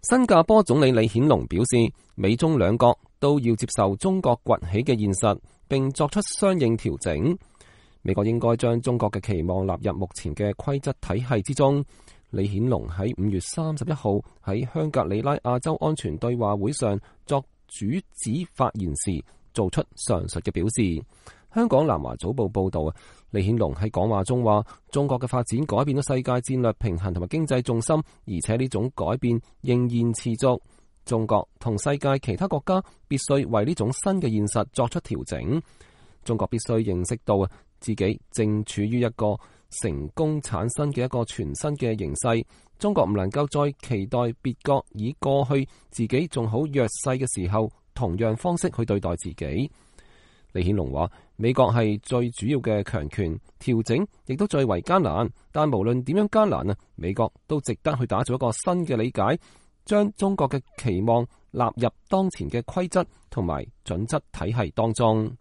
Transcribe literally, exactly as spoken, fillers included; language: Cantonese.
新加坡總理李顯龍表示，美中兩國都要接受中國崛起嘅現實，並作出相應調整。美國應該將中國嘅期望納入目前嘅規則體系之中。李顯龍喺五月三十一號喺香格里拉亞洲安全對話會上作主旨發言時，做出上述嘅表示。香港南華早報報道啊，李顯龍喺講話中話，中國嘅發展改變咗世界戰略平衡同埋經濟重心，而且呢種改變仍然持續。中國同世界其他國家必須為呢種新嘅現實作出調整。中國必須認識到啊，自己正處於一個成功產生嘅一個全新嘅形勢。中國唔能夠再期待別國以過去自己仲好弱勢嘅時候同樣方式去對待自己。李顯龍話，美國係最主要嘅強權，調整亦都最為艱難，但無論點樣艱難啊，美國都值得去打造一個新嘅理解，將中國嘅期望納入當前嘅規則同埋準則體系當中。